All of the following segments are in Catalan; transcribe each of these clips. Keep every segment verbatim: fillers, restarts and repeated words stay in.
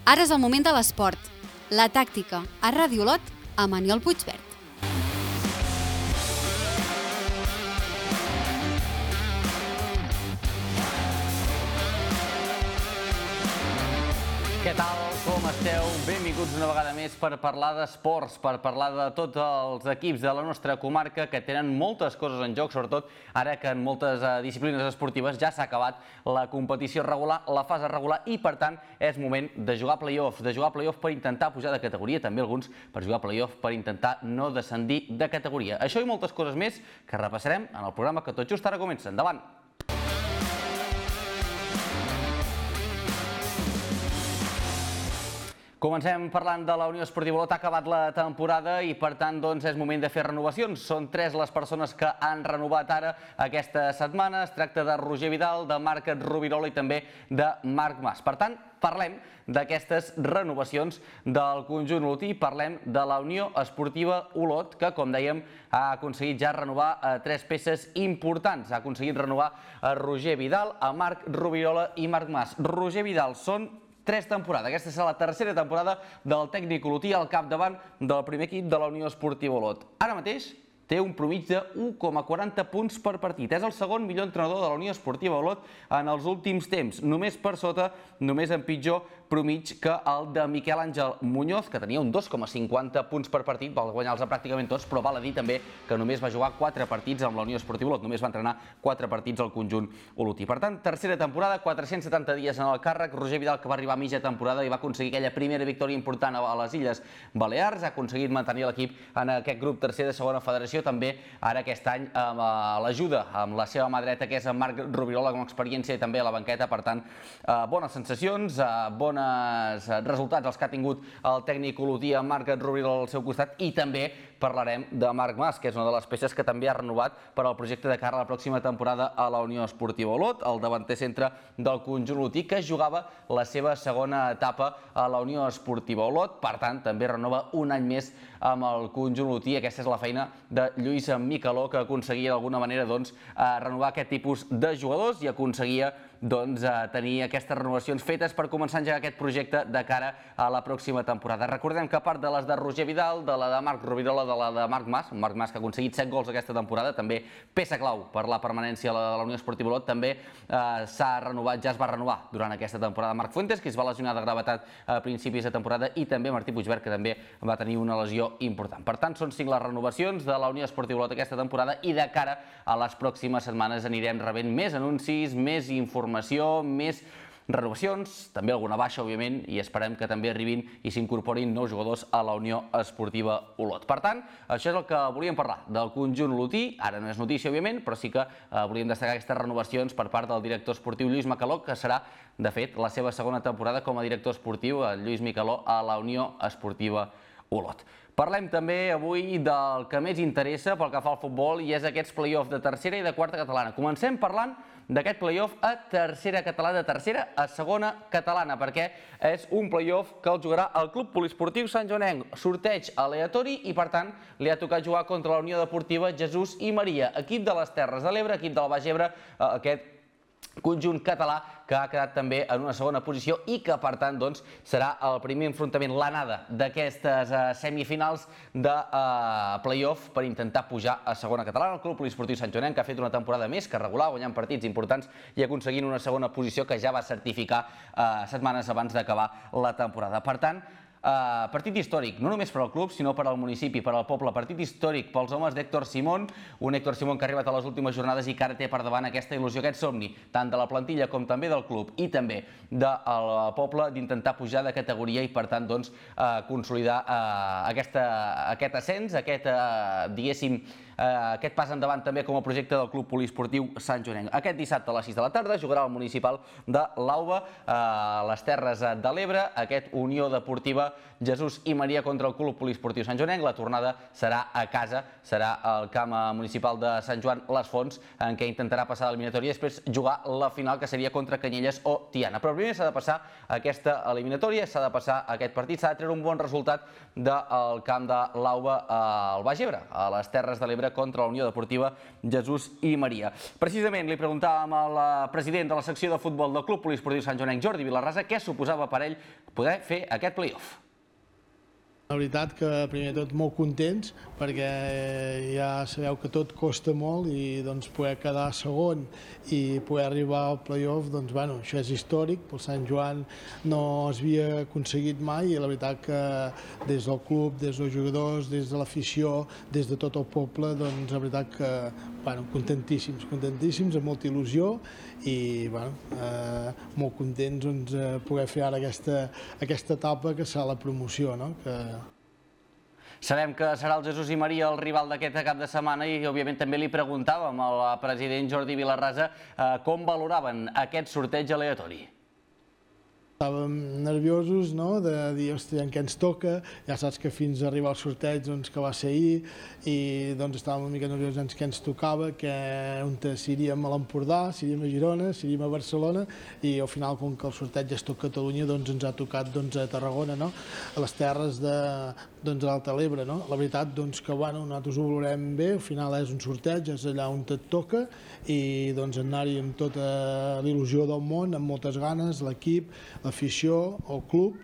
Ara és el moment de l'esport. La tàctica a Ràdio Olot amb Aniol Puigverd. Què tal? Com esteu? Benvinguts una vegada més per parlar d'esports, per parlar de tots els equips de la nostra comarca que tenen moltes coses en joc, sobretot ara que en moltes disciplines esportives ja s'ha acabat la competició regular, la fase regular, i per tant és moment de jugar play-offs, de jugar play-off per intentar pujar de categoria, també alguns per jugar play-off per intentar no descendir de categoria. Això i moltes coses més que repassarem en el programa que tot just ara comença. Endavant! Comencem parlant de la Unió Esportiva Olot. Ha acabat la temporada i, per tant, doncs, és moment de fer renovacions. Són tres les persones que han renovat ara aquesta setmana. Es tracta de Roger Vidal, de Marc Rubirola i també de Marc Mas. Per tant, parlem d'aquestes renovacions del conjunt olotí. Parlem de la Unió Esportiva Olot, que, com dèiem, ha aconseguit ja renovar tres peces importants. Ha aconseguit renovar a Roger Vidal, a Marc Rubirola i Marc Mas. Roger Vidal són tres temporades. Aquesta serà la tercera temporada del tècnic olotí al capdavant del primer equip de la Unió Esportiva Olot. Ara mateix té un promig de u coma quaranta punts per partit. És el segon millor entrenador de la Unió Esportiva Olot en els últims temps. Només per sota, només en pitjor promig que el de Miquel Àngel Muñoz, que tenia un dos coma cinquanta punts per partit, va guanyar-los pràcticament tots, però val a dir també que només va jugar quatre partits amb la Unió Esportiva Olot, només va entrenar quatre partits al conjunt olotí. Per tant, tercera temporada, quatre-cents setanta dies en el càrrec. Roger Vidal, que va arribar a mitja temporada i va aconseguir aquella primera victòria important a les Illes Balears, ha aconseguit mantenir l'equip en aquest grup tercer de segona federació, també ara aquest any amb l'ajuda amb la seva mà dreta, que és en Marc Rubirola, amb experiència i també a la banqueta. Per tant, bones sensacions, bones resultats els que ha tingut el tècnic olotí amb Marc Rubirola al seu costat, i també parlarem de Marc Mas, que és una de les peces que també ha renovat per al projecte de cara a la pròxima temporada a la Unió Esportiva Olot, el davanter centre del conjunt olotí, que jugava la seva segona etapa a la Unió Esportiva Olot. Per tant, també renova un any més amb el conjunt olotí. Aquesta és la feina de Lluís Micaló, que aconseguia d'alguna manera doncs, renovar aquest tipus de jugadors i aconseguia doncs, tenir aquestes renovacions fetes per començar a engegar aquest projecte de cara a la pròxima temporada. Recordem que a part de les de Roger Vidal, de la de Marc Rubirola, de la de Marc Mas, Marc Mas que ha aconseguit set gols aquesta temporada, també peça clau per la permanència de la Unió Esportiva Olot, també s'ha renovat, ja es va renovar durant aquesta temporada Marc Fuentes, que es va lesionar de gravetat a principis de temporada, i també Martí Puigverd, que també va tenir una lesió important. Per tant, són cinc les renovacions de la Unió Esportiva Olot aquesta temporada, i de cara a les pròximes setmanes anirem rebent més anuncis, més informació, més renovacions, també alguna baixa, òbviament, i esperem que també arribin i s'incorporin nous jugadors a la Unió Esportiva Olot. Per tant, això és el que volíem parlar del conjunt olotí. Ara no és notícia, òbviament, però sí que volíem destacar aquestes renovacions per part del director esportiu Lluís Micaló, que serà, de fet, la seva segona temporada com a director esportiu, Lluís Micaló, a la Unió Esportiva Olot. Parlem també avui del que més interessa pel que fa al futbol, i és aquests play-off de tercera i de quarta catalana. Comencem parlant d'aquest play-off a tercera catalana, de tercera a segona catalana, perquè és un play-off que el jugarà el Club Poliesportiu Sant Joanenc. Sorteig aleatori i, per tant, li ha tocat jugar contra la Unió Deportiva Jesús i Maria, equip de les Terres de l'Ebre, equip del Baix Ebre, aquest conjunt català que ha quedat també en una segona posició i que, per tant, doncs, serà el primer enfrontament, l'anada d'aquestes semifinals de play-off per intentar pujar a segona catalana. El Club Poliesportiu Sant Joanenc, que ha fet una temporada més que regular, guanyant partits importants i aconseguint una segona posició que ja va certificar setmanes abans d'acabar la temporada. Per tant, partit històric, no només per al club, sinó per al municipi, per al poble. Partit històric pels homes d'Héctor Simón, un Héctor Simón que ha arribat a les últimes jornades i que ara té per davant aquesta il·lusió, aquest somni, tant de la plantilla com també del club i també del poble, d'intentar pujar de categoria i, per tant, doncs, consolidar aquest ascens, aquest, diguéssim, aquest pas endavant també com a projecte del Club Poliesportiu Sant Joanenc. Aquest dissabte a les sis de la tarda jugarà el municipal de l'Auba, a les Terres de l'Ebre, aquest Unió Deportiva Jesús i Maria contra el Club Poliesportiu Sant Joanenc. La tornada serà a casa, serà al camp municipal de Sant Joan les Fonts, en què intentarà passar l'eliminatòria i després jugar la final, que seria contra Canyelles o Tiana. Però primer s'ha de passar aquesta eliminatòria, s'ha de passar aquest partit, s'ha de treure un bon resultat del camp de l'Auba al Baix Ebre, a les Terres de l'Ebre, Deltebre contra la Unió Deportiva Jesús i Maria. Precisament li preguntàvem al president de la secció de futbol del Club Poliesportiu Sant Joanenc, Jordi Vilarrasa, què suposava per ell poder fer aquest play-off. La veritat que primer de tot molt contents perquè ja sabeu que tot costa molt i doncs poder quedar segon i poder arribar al play-off, doncs bueno, això és històric, pel Sant Joan no es havia aconseguit mai i la veritat que des del club, des dels jugadors, des de l'afició, des de tot el poble, doncs la veritat que bueno, contentíssims, contentíssims, amb molta il·lusió i bueno, eh, molt contents doncs, eh, poder fer ara aquesta, aquesta etapa que serà la promoció, no? Que... Sabem que serà el Jesús i Maria el rival d'aquest cap de setmana i òbviament també li preguntàvem al president Jordi Vilarrasa eh, com valoraven aquest sorteig aleatori. Estàvem nerviosos, no?, de dir, hòstia, en què ens toca, ja saps que fins a arribar al sorteig, doncs, que va ser ahir, i doncs estàvem una mica nerviosos en què ens tocava, que on si iríem a l'Empordà, si iríem a Girona, si iríem a Barcelona, i al final, com que el sorteig és tot Catalunya, doncs ens ha tocat doncs, a Tarragona, no?, a les terres de doncs, l'Alta Ebre, no? La veritat, doncs, que bueno, nosaltres ho valorem bé, al final és un sorteig, és allà on et toca, i doncs anar-hi amb tota l'il·lusió del món, amb moltes ganes, l'equip, l'afició, el club,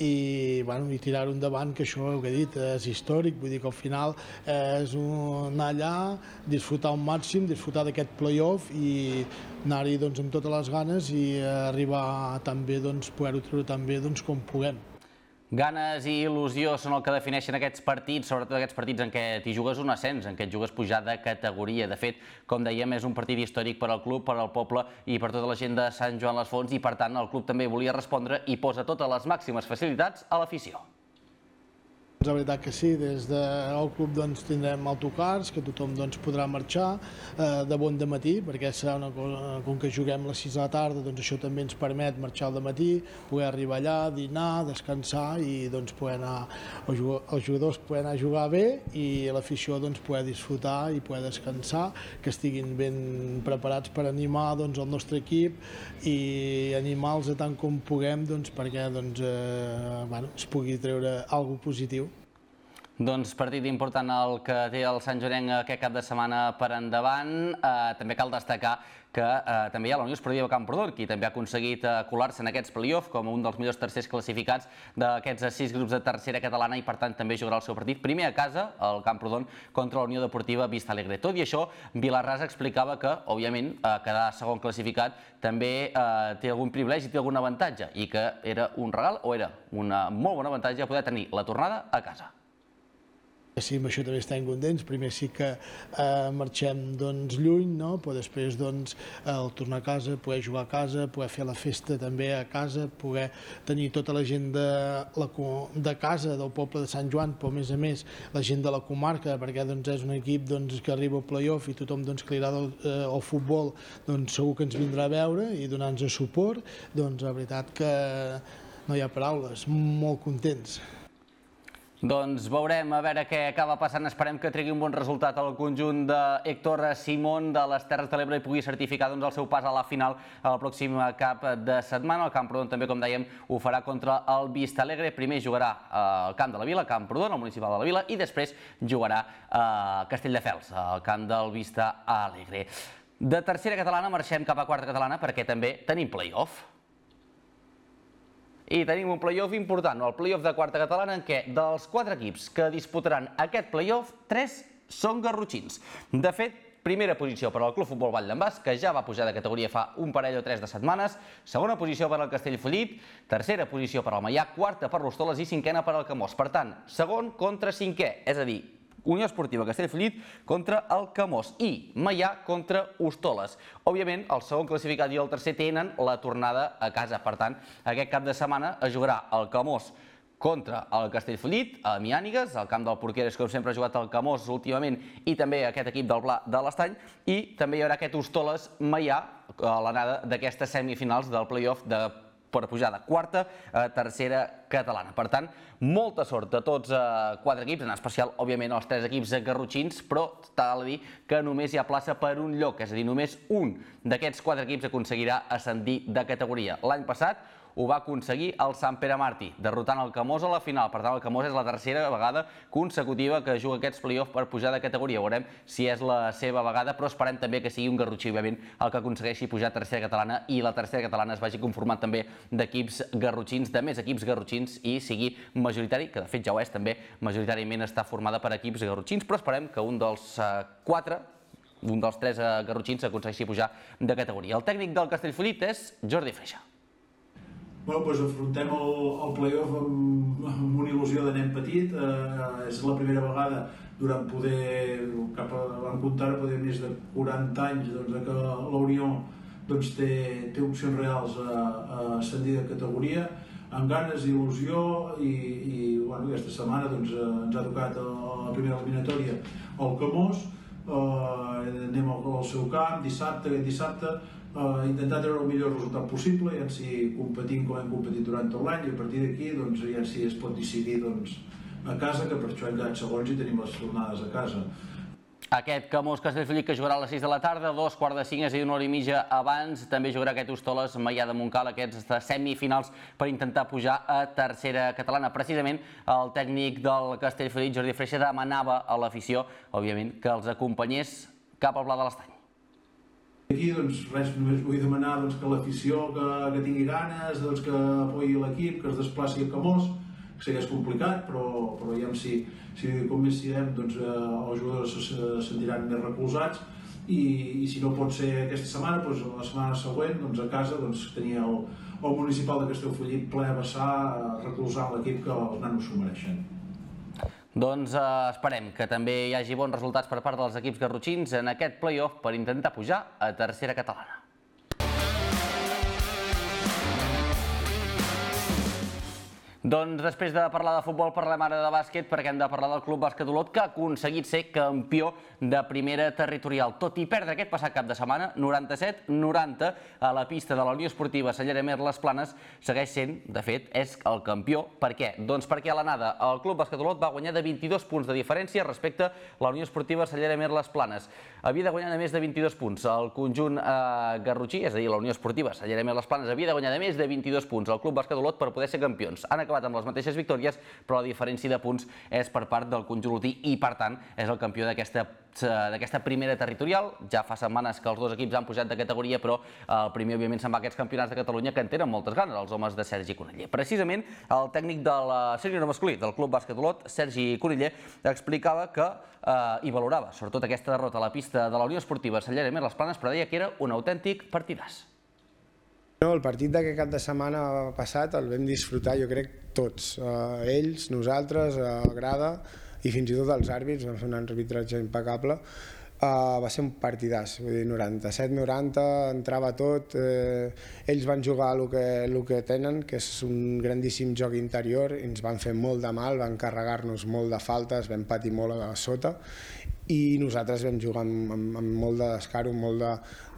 i, bueno, i tirar-ho endavant, que això, ho he dit, és històric, vull dir que al final és un, anar allà, disfrutar al màxim, disfrutar d'aquest play-off i anar-hi doncs, amb totes les ganes i arribar tan bé, doncs, poder-ho treure tan bé doncs, com puguem. Ganes i il·lusió són el que defineixen aquests partits, sobretot aquests partits en què t'hi jugues un ascens, en què et jugues pujar de categoria. De fet, com dèiem, és un partit històric per al club, per al poble i per tota la gent de Sant Joan les Fonts i, per tant, el club també volia respondre i posa totes les màximes facilitats a l'afició. La veritat que sí, des del club doncs, tindrem autocars, que tothom doncs, podrà marxar eh, de bon dematí, perquè serà una cosa, com que juguem a les sis de la tarda, doncs això també ens permet marxar al dematí, poder arribar allà, dinar, descansar i doncs, poder anar, els jugadors poder anar a jugar bé i l'afició doncs, poder disfrutar i poder descansar, que estiguin ben preparats per animar doncs, el nostre equip i animar-los tant com puguem doncs, perquè doncs, eh, bueno, es pugui treure alguna cosa positiu. Doncs partit important el que té el Sant Joanenc aquest cap de setmana per endavant. Eh, també cal destacar que eh, també hi ha la Unió Esportiva Camprodon, qui també ha aconseguit eh, colar-se en aquests play-off com un dels millors tercers classificats d'aquests sis grups de tercera catalana i per tant també jugarà el seu partit primer a casa, el Camprodon, contra la Unió Deportiva Vista Alegre. Tot i això, Vilarrasa explicava que, òbviament, eh, quedar segon classificat també eh, té algun privilegi, té algun avantatge i que era un regal o era una molt bona avantatge poder tenir la tornada a casa. Sí, amb això també estem contents. Primer sí que eh, marxem doncs, lluny, no? Però després doncs, el tornar a casa, poder jugar a casa, poder fer la festa també a casa, poder tenir tota la gent de, la, de casa, del poble de Sant Joan, però a més a més la gent de la comarca, perquè doncs, és un equip doncs, que arriba al play-off i tothom doncs, que li agrada el, eh, el futbol doncs, segur que ens vindrà a veure i donar-nos suport. Doncs la veritat que no hi ha paraules, molt contents. Doncs veurem a veure què acaba passant. Esperem que tregui un bon resultat al conjunt d'Héctor Simón de les Terres de l'Ebre i pugui certificar doncs, el seu pas a la final al pròxim cap de setmana. El Camprodon també, com dèiem, ho farà contra el Vista Alegre. Primer jugarà al camp de la Vila, Camprodon, al municipal de la Vila, i després jugarà a Castelldefels, al camp del Vista Alegre. De tercera catalana marxem cap a quarta catalana perquè també tenim play-off. I tenim un play-off important, el play-off de quarta catalana, en què dels quatre equips que disputaran aquest play-off, tres són garrotxins. De fet, primera posició per al Club Futbol Vall d'en Bas, que ja va pujar de categoria fa un parell o tres de setmanes, segona posició per al Castellfollit, tercera posició per al Maià, quarta per l'Hostoles i cinquena per al Camós. Per tant, segon contra cinquè, és a dir, Unió Esportiva Castellfollit contra el Camós i Maià contra Hostoles. Òbviament, el segon classificat i el tercer tenen la tornada a casa. Per tant, aquest cap de setmana es jugarà el Camós contra el Castellfollit, a Miànigues, al camp del Porqueres, com sempre ha jugat el Camós últimament, i també aquest equip del Pla de l'Estany, i també hi haurà aquest Hostoles-Maià a l'anada d'aquestes semifinals del play-off de per pujar de quarta a tercera catalana. Per tant, molta sort a tots quatre equips, en especial, òbviament, els tres equips garrotxins, però cal dir que només hi ha plaça per un lloc, és a dir, només un d'aquests quatre equips aconseguirà ascendir de categoria. L'any passat ho va aconseguir el Sant Pere Martí, derrotant el Camós a la final. Per tant, el Camós és la tercera vegada consecutiva que juga aquests play-off per pujar de categoria. Veurem si és la seva vegada, però esperem també que sigui un garrotxí, òbviament, el que aconsegueixi pujar a tercera catalana i la tercera catalana es vagi conformant també d'equips garrotxins, de més equips garrotxins, i sigui majoritari, que de fet ja ho és també, majoritàriament està formada per equips garrotxins, però esperem que un dels uh, quatre, un dels tres uh, garrotxins aconsegueixi pujar de categoria. El tècnic del Castellfollit és Jordi Freixa. Bueno, doncs afrontem el, el play-off amb, amb una il·lusió de nen petit. Eh, és la primera vegada durant poder, cap a, vam comptar poder més de quaranta anys, doncs, de que la Unió doncs, té, té opcions reals a, a ascendir de categoria, amb ganes, il·lusió, i, i bueno, aquesta setmana doncs, ens ha tocat a la primera eliminatòria el Camós. Eh, anem al, al seu camp dissabte, aquest dissabte, eh, intentar treure el millor resultat possible, i si competim com hem competit durant tot l'any, i a partir d'aquí doncs, ja si es pot decidir doncs, a casa, que per això hem quedat segons i tenim les tornades a casa. Aquest Camós Castellfollit que jugarà a les sis de la tarda, dos quarts de cinc, és a dir, una hora i mitja abans. També jugarà aquest Hostoles Maià de Montcal, aquests semifinals per intentar pujar a tercera catalana. Precisament el tècnic del Castellfollit, Jordi Freixa, demanava a l'afició, òbviament, que els acompanyés cap al Pla de l'Estany. Aquí, doncs, res, només vull demanar doncs, que l'afició que, que tingui ganes, doncs, que apoyi l'equip, que es desplaci a Camós. Sé que és complicat, però, però ja si, si com més siguem, doncs, eh, els jugadors se sentiran més recolzats, i, i si no pot ser aquesta setmana, doncs, la setmana següent, doncs, a casa, doncs, tenir el, el municipal de Castellfollit ple a vessar, recolzant l'equip, que els nanos s'ho mereixen. Doncs eh, esperem que també hi hagi bons resultats per part dels equips garrotxins en aquest play-off per intentar pujar a tercera catalana. Doncs després de parlar de futbol parlem ara de bàsquet, perquè hem de parlar del Club Bàsquet Olot, que ha aconseguit ser campió de primera territorial. Tot i perdre aquest passat cap de setmana, noranta-set noranta, a la pista de la Unió Esportiva Cellera Amer Les Planes, segueix sent, de fet, és el campió. Per què? Doncs perquè a l'anada el Club Bàsquet Olot va guanyar de vint-i-dos punts de diferència respecte a la Unió Esportiva Cellera Amer Les Planes. Havia de guanyar de més de vint-i-dos punts. El conjunt eh, garrotxí, és a dir, la Unió Esportiva Cellera Amer Les Planes, havia de guanyar de més de vint-i-dos punts al Club Bàsquet Olot per poder ser campions. Han acabat amb les mateixes victòries, però la diferència de punts és per part del conjunt olotí i, per tant, és el campió d'aquesta d'aquesta primera territorial. Ja fa setmanes que els dos equips han pujat de categoria, però el primer, òbviament, se'n va a aquests campionats de Catalunya que en tenen moltes ganes, els homes de Sergi Coneller. Precisament, el tècnic de la sènior masculí del Club Bàsquet Olot, Sergi Coneller, explicava que eh, i valorava, sobretot, aquesta derrota a la pista de la Unió Esportiva Cellera Amer Les Planes, però deia que era un autèntic partidàs. No, el partit d'aquest cap de setmana passat el vam disfrutar, jo crec, tots. Eh, ells, nosaltres, a grada i fins i tot els àrbits, vam fer un arbitratge impecable. Uh, va ser un partidàs, vull dir, noranta-set noranta, entrava tot, eh, ells van jugar el que, el que tenen, que és un grandíssim joc interior, i ens van fer molt de mal, van carregar-nos molt de faltes, vam patir molt a sota, i nosaltres vam jugar amb, amb, amb molt de descaro, molt de,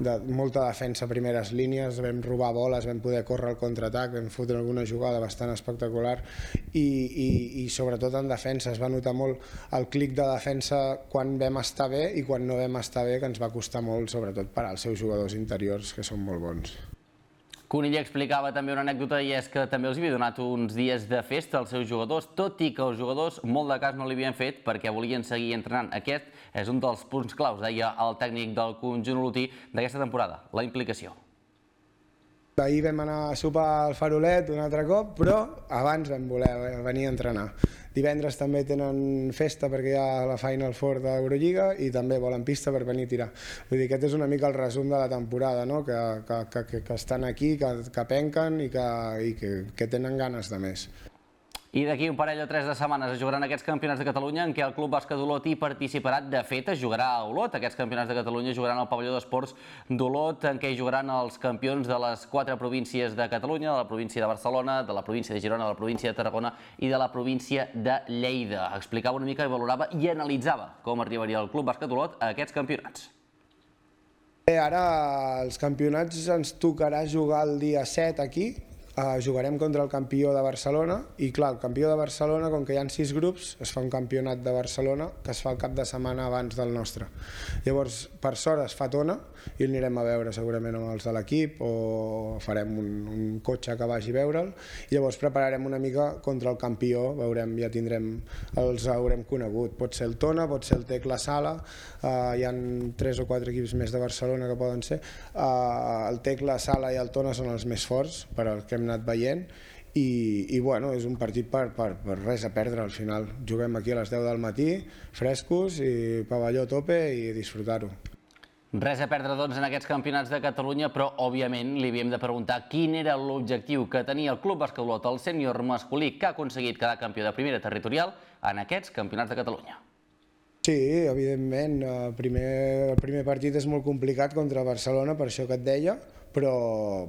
de, molta defensa a primeres línies, vam robar boles, vam poder córrer al contraatac, vam fotre alguna jugada bastant espectacular, i, i, i sobretot en defensa es va notar molt el clic de defensa quan vam estar bé i quan no vam estar bé, que ens va costar molt, sobretot per als seus jugadors interiors, que són molt bons. Coneller explicava també una anècdota, i és que també els havia donat uns dies de festa als seus jugadors, tot i que els jugadors molt de cas no li havien fet perquè volien seguir entrenant. Aquest és un dels punts claus, deia el tècnic del conjunt olotí d'aquesta temporada, la implicació. Ahir vam anar a sopar al Farolet un altre cop, però abans vam voler venir a entrenar. Divendres també tenen festa perquè hi ha la Final Four d'Eurolliga i també volen pista per venir a tirar. Vull dir, aquest és una mica el resum de la temporada, no? que, que, que, que estan aquí, que, que penquen i, que, i que, que tenen ganes de més. I d'aquí un parell o tres de setmanes es jugaran aquests campionats de Catalunya en què el Club Bàsquet Olot hi participarà. De fet, es jugarà a Olot. Aquests campionats de Catalunya jugaran al pavelló d'esports d'Olot, en què hi jugaran els campions de les quatre províncies de Catalunya, de la província de Barcelona, de la província de Girona, de la província de Tarragona i de la província de Lleida. Explicava una mica i valorava i analitzava com arribaria el Club Bàsquet Olot a aquests campionats. Bé, ara els campionats ens tocarà jugar el dia set aquí, Uh, jugarem contra el campió de Barcelona i clar, el campió de Barcelona, com que hi ha sis grups, es fa un campionat de Barcelona que es fa el cap de setmana abans del nostre. Llavors, per sort es fa a Tona i el anirem a veure segurament amb els de l'equip o farem un, un cotxe que vagi a veure'l i llavors prepararem una mica contra el campió, veurem, ja tindrem, els haurem conegut. Pot ser el Tona, pot ser el Tecla Sala, uh, hi ha tres o quatre equips més de Barcelona que poden ser. Uh, el Tecla Sala i el Tona són els més forts per al que hem anat veient i, i bueno, és un partit per, per, per res a perdre al final. Juguem aquí a les deu del matí, frescos i pavelló a tope i disfrutar-ho. Res a perdre, doncs, en aquests campionats de Catalunya, però, òbviament, li havíem de preguntar quin era l'objectiu que tenia el Club Bàsquet Olot, el sènior masculí, que ha aconseguit quedar campió de primera territorial en aquests campionats de Catalunya. Sí, evidentment, el primer, el primer partit és molt complicat contra Barcelona, per això que et deia, però,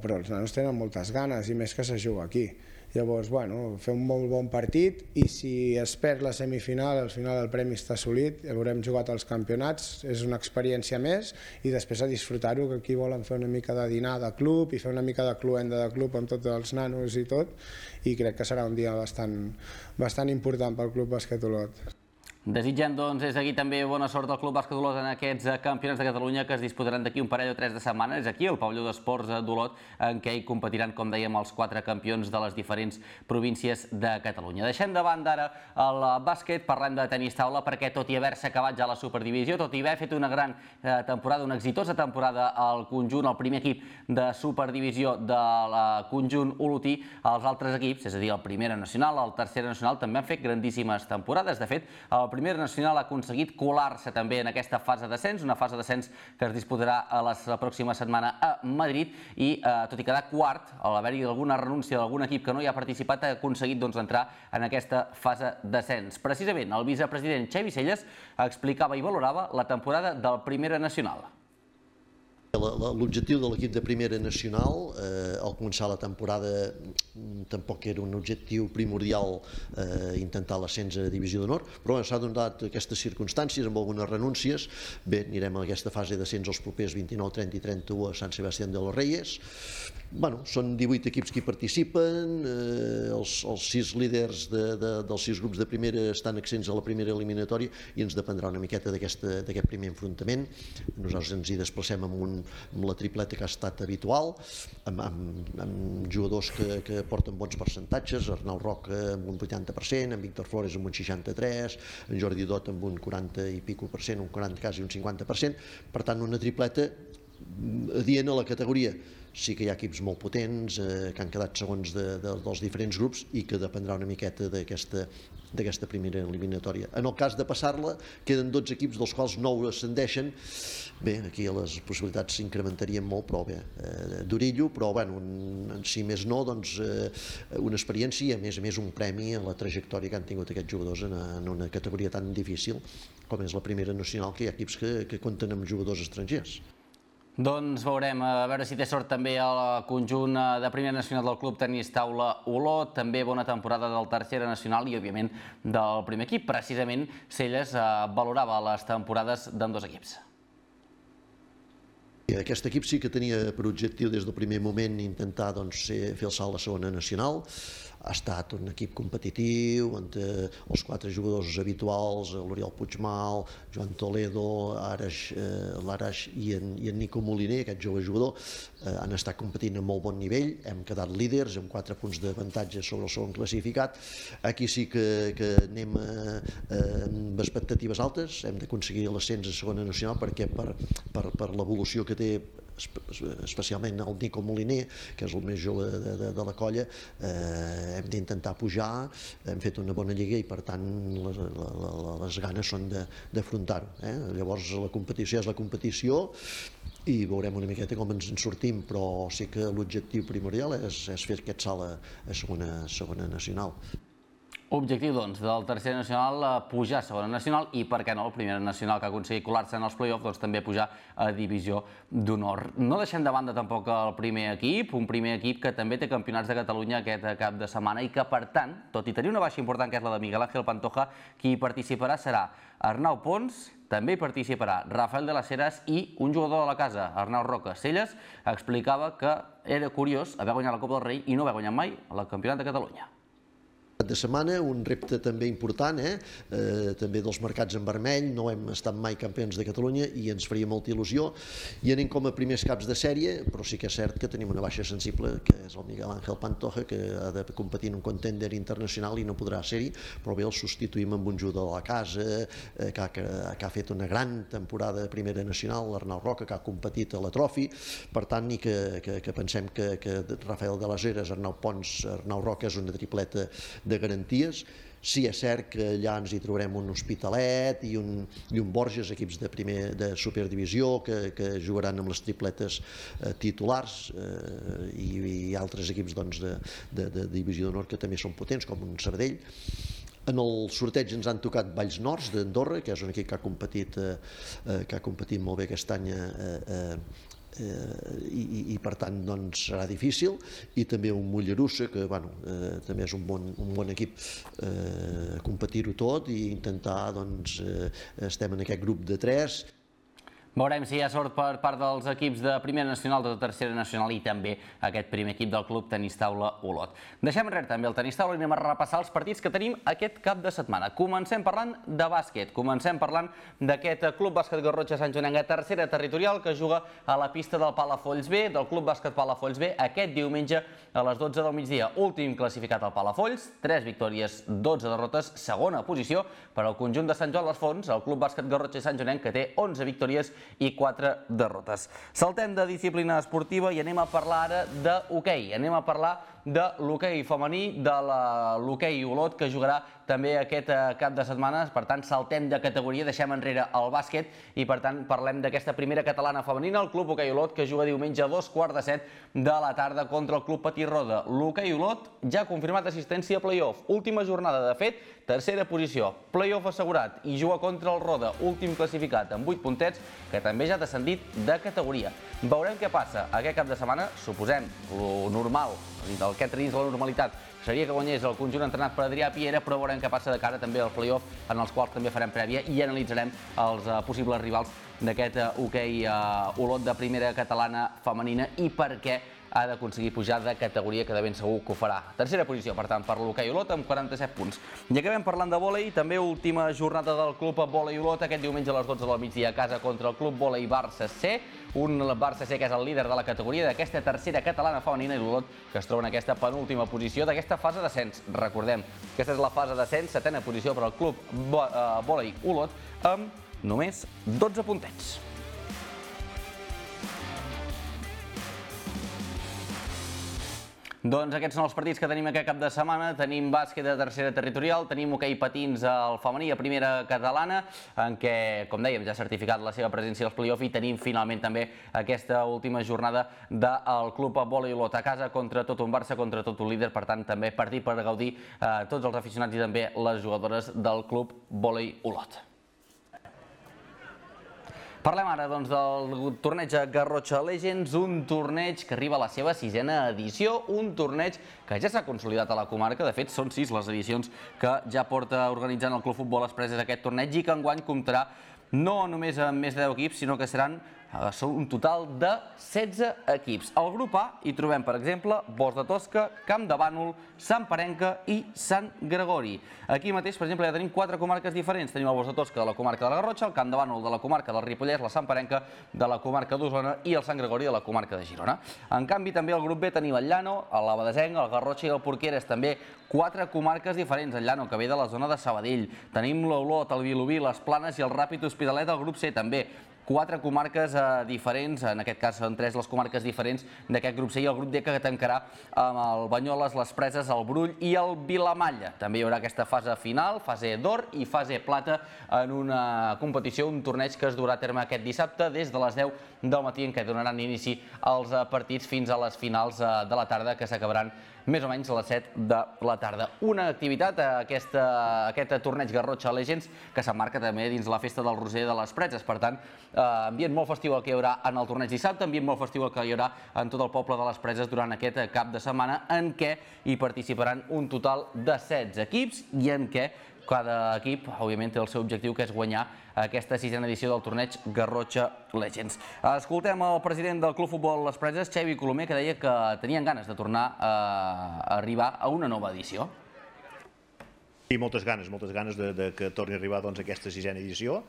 però els nanos tenen moltes ganes i més que se juga aquí. Llavors, bueno, fer un molt bon partit i si es perd la semifinal, al final el premi està assolit, haurem jugat als campionats, és una experiència més i després a disfrutar-ho, que aquí volen fer una mica de dinar de club i fer una mica de cluenda de club amb tots els nanos i tot i crec que serà un dia bastant, bastant important pel Club Bàsquet Olot. Desitgem, doncs, des d'aquí també bona sort al Club Bàsquet Olot en aquests campionats de Catalunya que es disputaran d'aquí un parell o tres de setmanes. Aquí, al pavelló d'esports d'Olot, en què hi competiran, com dèiem, els quatre campions de les diferents províncies de Catalunya. Deixem de banda ara el bàsquet, parlem de tenis taula, perquè tot i haver-se acabat ja la Superdivisió, tot i haver fet una gran temporada, una exitosa temporada al conjunt, el primer equip de Superdivisió del conjunt olotí, els altres equips, és a dir, el Primera Nacional, el Tercera Nacional, també han fet grandíssimes temporades. De fet, el Primera Nacional ha aconseguit colar-se també en aquesta fase d'ascens, una fase d'ascens que es disputarà a la pròxima setmana a Madrid i, eh, tot i quedar quart, al haver-hi alguna renúncia d'algun equip que no hi ha participat, ha aconseguit doncs, entrar en aquesta fase d'ascens. Precisament, el vicepresident Xavi Celles explicava i valorava la temporada del Primera Nacional. L'objectiu de l'equip de Primera Nacional, eh, al començar la temporada, tampoc era un objectiu primordial eh, intentar l'ascens a Divisió d'Honor, però s'ha donat aquestes circumstàncies amb algunes renúncies. Bé, anirem a aquesta fase d'ascens els propers vint-i-nou, trenta i trenta-u a Sant Sebastián de los Reyes. Bueno, són divuit equips que hi participen, eh, els, els sis líders de, de, dels sis grups de primera estan accents a la primera eliminatòria i ens dependrà una miqueta d'aquest primer enfrontament. Nosaltres ens hi desplacem amb, un, amb la tripleta que ha estat habitual, amb, amb, amb jugadors que, que porten bons percentatges, Arnau Roca amb un vuitanta per cent, en Víctor Flores amb un seixanta-tres, en Jordi Dot amb un quaranta i pico per cent, un quaranta quasi un cinquanta per cent, per tant una tripleta adient a la categoria. Sí que hi ha equips molt potents eh, que han quedat segons de, de, dels diferents grups i que dependrà una miqueta d'aquesta d'aquesta primera eliminatòria. En el cas de passar-la, queden dotze equips, dels quals nou ascendeixen. Bé, aquí les possibilitats s'incrementarien molt, però bé, eh, d'orillo, però bueno, un, si més no, doncs eh, una experiència i a més a més un premi a la trajectòria que han tingut aquests jugadors en, en una categoria tan difícil com és la Primera Nacional, que hi ha equips que, que compten amb jugadors estrangers. Doncs veurem, a veure si té sort també el conjunt de Primera Nacional del Club Tenis Taula Olot, també bona temporada del Tercera Nacional i, òbviament, del primer equip. Precisament, Celles valorava les temporades d'ambdós equips. Aquest equip sí que tenia per objectiu des del primer moment intentar doncs, fer el salt a la segona nacional. Ha estat un equip competitiu, on eh, els quatre jugadors habituals, l'Oriol Puigmal, Joan Toledo, Arash, eh, l'Arash i, en, i en Nico Moliner, aquest jove jugador, eh, han estat competint a molt bon nivell, hem quedat líders amb quatre punts d'avantatge sobre el segon classificat. Aquí sí que, que anem eh, amb expectatives altes, hem d'aconseguir l'ascens a segona nacional perquè per, per, per l'evolució que té especialment el Nico Moliner, que és el més jove de, de, de la colla, eh, hem d'intentar pujar, hem fet una bona lliga i per tant les, les, les ganes són d'afrontar-ho. Eh? Llavors la competició és la competició i veurem una miqueta com ens en sortim, però sí que l'objectiu primordial és, és fer aquest salt a, a segona, segona nacional. Objectiu, doncs, del tercer nacional pujar a segona nacional i, per què no, el primer nacional que ha aconseguit colar-se en els play-offs, doncs també pujar a divisió d'honor. No deixem de banda tampoc el primer equip, un primer equip que també té campionats de Catalunya aquest cap de setmana i que, per tant, tot i tenir una baixa important que és la de Miguel Ángel Pantoja, qui hi participarà serà Arnau Pons, també hi participarà Rafael de las Heras i un jugador de la casa, Arnau Roca. Celles explicava que era curiós haver guanyat la Copa del Rei i no haver guanyat mai el Campionat de Catalunya. De setmana, un repte també important, eh? Eh, també dels mercats en vermell, no hem estat mai campions de Catalunya i ens faria molta il·lusió, i anem com a primers caps de sèrie, però sí que és cert que tenim una baixa sensible, que és el Miguel Ángel Pantoja, que ha de competir en un contender internacional i no podrà ser-hi, però bé, el substituïm amb un jugador de la casa, eh, que, ha, que, que ha fet una gran temporada de primera nacional, l'Arnau Roca, que ha competit a la Trofi, per tant, i que, que, que pensem que, que Rafael de las Heras, Arnau Pons, Arnau Roca és una tripleta de garanties. Sí, és cert que allà ens hi trobarem un Hospitalet i un, i un Borges, equips de, primer, de superdivisió, que, que jugaran amb les tripletes eh, titulars, eh, i, i altres equips doncs, de, de, de divisió d'honor que també són potents, com un Sabadell. En el sorteig ens han tocat Valls Nors d'Andorra, que és un equip que ha competit, eh, que ha competit molt bé aquest any eh, eh, Eh, i, i per tant doncs, serà difícil, i també un Mollerussa que bueno, eh, també és un bon, un bon equip, eh, competir-ho tot i intentar, doncs, eh, estem en aquest grup de tres. Veurem si hi ha sort per part dels equips de primera nacional, de tercera nacional i també aquest primer equip del club Tenis Taula Olot. Deixem enrere també el Tenis Taula i anem a repassar els partits que tenim aquest cap de setmana. Comencem parlant de bàsquet, comencem parlant d'aquest Club Bàsquet Garrotxa Sant Joanenc a tercera territorial que juga a la pista del Palafolls B, del Club Bàsquet Palafolls B, aquest diumenge a les dotze del migdia. Últim classificat al Palafolls, tres victòries, dotze derrotes, segona posició per al conjunt de Sant Joan les Fonts, el Club Bàsquet Garrotxa Sant Joanenc, que té onze victòries i quatre derrotes. Saltem de disciplina esportiva i anem a parlar ara d'hoquei. Anem a parlar de l'hoquei femení, de l'hoquei Olot, que jugarà també aquest cap de setmana. Per tant, saltem de categoria, deixem enrere el bàsquet i, per tant, parlem d'aquesta primera catalana femenina, el Club Hoquei Olot, que juga diumenge a dos quarts de set de la tarda contra el Club Petit Roda. L'hoquei Olot ja ha confirmat assistència a play-off. Última jornada, de fet, tercera posició, play-off assegurat, i juga contra el Roda, últim classificat amb vuit puntets, que també ja ha descendit de categoria. Veurem què passa aquest cap de setmana. Suposem, lo normal, el que entra dins la normalitat, seria que guanyés el conjunt entrenat per Adrià Piera, però veurem què passa de cara també al play-off, en els quals també farem prèvia i analitzarem els possibles rivals d'aquest hoquei Olot de primera catalana femenina i per què ha d'aconseguir pujar de categoria, que de ben segur que ho farà. Tercera posició, per tant, per l'hoquei Olot, amb quaranta-set punts. I acabem parlant de vòlei, també última jornada del Club Vòlei Olot, aquest diumenge a les dotze del migdia a casa contra el Club Vòlei Barça C, un Barça C que és el líder de la categoria d'aquesta tercera catalana femenina, i l'Olot, que es troba en aquesta penúltima posició d'aquesta fase d'ascens. Recordem, aquesta és la fase d'ascens, setena posició per al Club Vòlei Olot, amb només dotze puntets. Doncs aquests són els partits que tenim aquest cap de setmana. Tenim bàsquet de tercera territorial, tenim hoquei patins al femení a primera catalana, en què, com dèiem, ja ha certificat la seva presència als play-off, i tenim finalment també aquesta última jornada del Club Vòlei Olot a casa contra tot un Barça, contra tot un líder. Per tant, també partit per gaudir tots els aficionats i també les jugadores del Club Vòlei Olot. Parlem ara doncs, del torneig Garrotxa Legends, un torneig que arriba a la seva sisena edició, un torneig que ja s'ha consolidat a la comarca. De fet, són sis les edicions que ja porta organitzant el Club Futbol Express aquest torneig i que enguany comptarà no només amb més de deu equips, sinó que seran un total de setze equips. Al grup A hi trobem, per exemple, Bos de Tosca, Camp de Bànol, Sant Parenca i Sant Gregori. Aquí mateix, per exemple, ja tenim quatre comarques diferents. Tenim el Bos de Tosca de la comarca de la Garrotxa, el Camp de Bànol de la comarca del Ripollès, la Sant Parenca de la comarca d'Osona i el Sant Gregori de la comarca de Girona. En canvi, també al grup B tenim el Llano, l'Abadesenc, el Garrotxa i el Porqueres, també quatre comarques diferents. El Llano, que ve de la zona de Sabadell. Tenim l'Olot, el Vilobí, les Planes i el Ràpid Hospitalet al grup C, també. Quatre comarques diferents, en aquest cas són tres les comarques diferents d'aquest grup C, i el grup D que tancarà amb el Banyoles, les Preses, el Brull i el Vilamalla. També hi haurà aquesta fase final, fase d'or i fase plata, en una competició, un torneig que es durà a terme aquest dissabte des de les deu del matí, en què donaran inici als partits fins a les finals de la tarda, que s'acabaran més o menys a les set de la tarda. Una activitat, aquesta, aquest torneig Garrotxa Legends, que s'emmarca també dins la festa del Roser de les Preses. Per tant, ambient molt festiu el que hi haurà en el torneig dissabte, ambient molt festiu el que hi haurà en tot el poble de les Preses durant aquest cap de setmana, en què hi participaran un total de setze equips i en què cada equip, òbviament, té el seu objectiu, que és guanyar aquesta sisena edició del torneig Garrotxa Legends. Escoltem el president del Club Futbol Les Preses, Xavi Colomer, que deia que tenien ganes de tornar a arribar a una nova edició. Sí, moltes ganes, moltes ganes de que torni a arribar a aquesta sisena edició.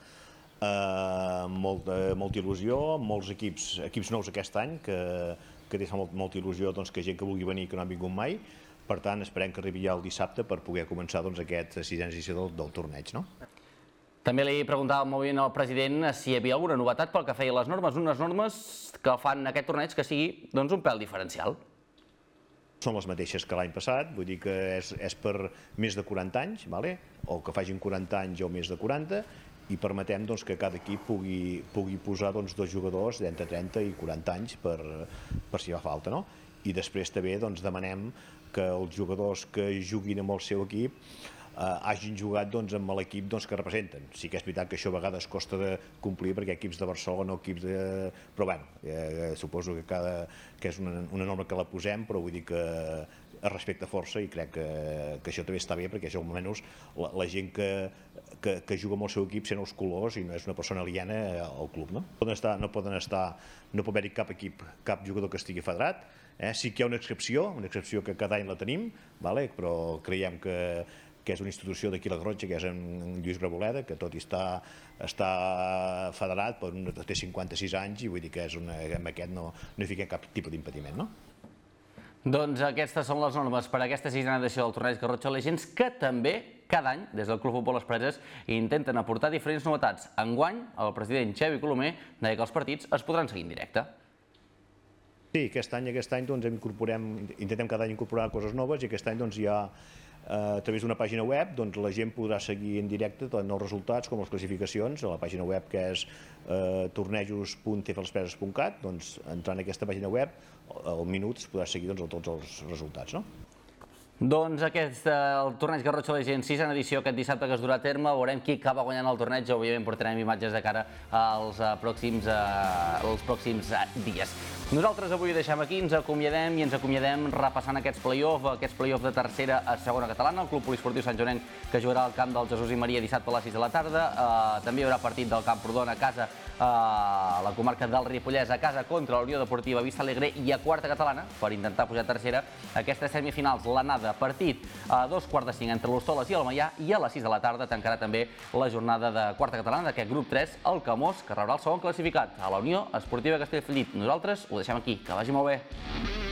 Molta il·lusió, molts equips nous aquest any, que té molta il·lusió que gent que vulgui venir que no han vingut mai. Per tant, esperem que arribi ja el dissabte per poder començar aquesta sisena edició del torneig. També li preguntava molt bé al president si hi havia alguna novetat pel que feia les normes, unes normes que fan aquest torneig que sigui un pèl diferencial. Són les mateixes que l'any passat, vull dir que és per més de quaranta anys, o que facin quaranta anys o més de quaranta, i permetem que cada equip pugui posar dos jugadors d'entre trenta i quaranta anys per si fa falta. I després també demanem que els jugadors que juguin amb el seu equip hagin jugat amb l'equip que representen. Sí que és veritat que això a vegades costa de complir perquè equips de Barcelona o equips de... Però bé, suposo que és una norma que la posem, però vull dir que es respecta força i crec que això també està bé perquè això almenys la gent que juga amb el seu equip sent els colors i no és una persona aliena al club. No poden estar, no pot haver-hi cap equip, cap jugador que estigui federat. Sí que hi ha una excepció, una excepció que cada any la tenim, però creiem que és una institució d'aquí a la Garrotxa, que és en Lluís Braboleda, que tot i està federat, però té cinquanta-sis anys i vull dir que amb aquest no hi fiquem cap tipus d'impediment, no? Doncs aquestes són les normes per a aquesta sisena edició del torneig Garrotxa Legends, que també cada any, des del Club Futbol Les Preses, intenten aportar diferents novetats. Enguany, el president Xavi Colomer deia que els partits es podran seguir en directe. Sí, aquest any intentem cada any incorporar coses noves i aquest any hi ha, a través d'una pàgina web, la gent podrà seguir en directe tant els resultats com les classificacions a la pàgina web que és tornejos punt t f les preses punt cat. Entrant en aquesta pàgina web, al minut es podrà seguir tots els resultats. Doncs aquest, el torneig Garrotxa Legends, sisena edició, aquest dissabte que es durà a terme, veurem qui acaba guanyant el torneig, òbviament portarem imatges de cara als pròxims dies. Nosaltres avui ho deixem aquí, ens acomiadem i ens acomiadem repassant aquests play-off, aquests play-off de tercera a segona catalana, el Club Poliesportiu Sant Joanenc que jugarà al camp del Jesús i Maria dissabte a les sis de la tarda, també hi haurà partit del Camprodon a casa, a la comarca del Ripollès a casa contra la Unió Deportiva Vista Alegre i a quarta catalana per intentar pujar a tercera aquestes semifinals, l'anada partit a dos quarts de cinc entre l'Hostoles i el Maià i a les sis de la tarda tancarà també la jornada de quarta catalana d'aquest grup tres, el Camós, que rebrà el segon classificat a la Unió Esportiva Castellfollit. Nosaltres ho deixem aquí, que vagi molt bé.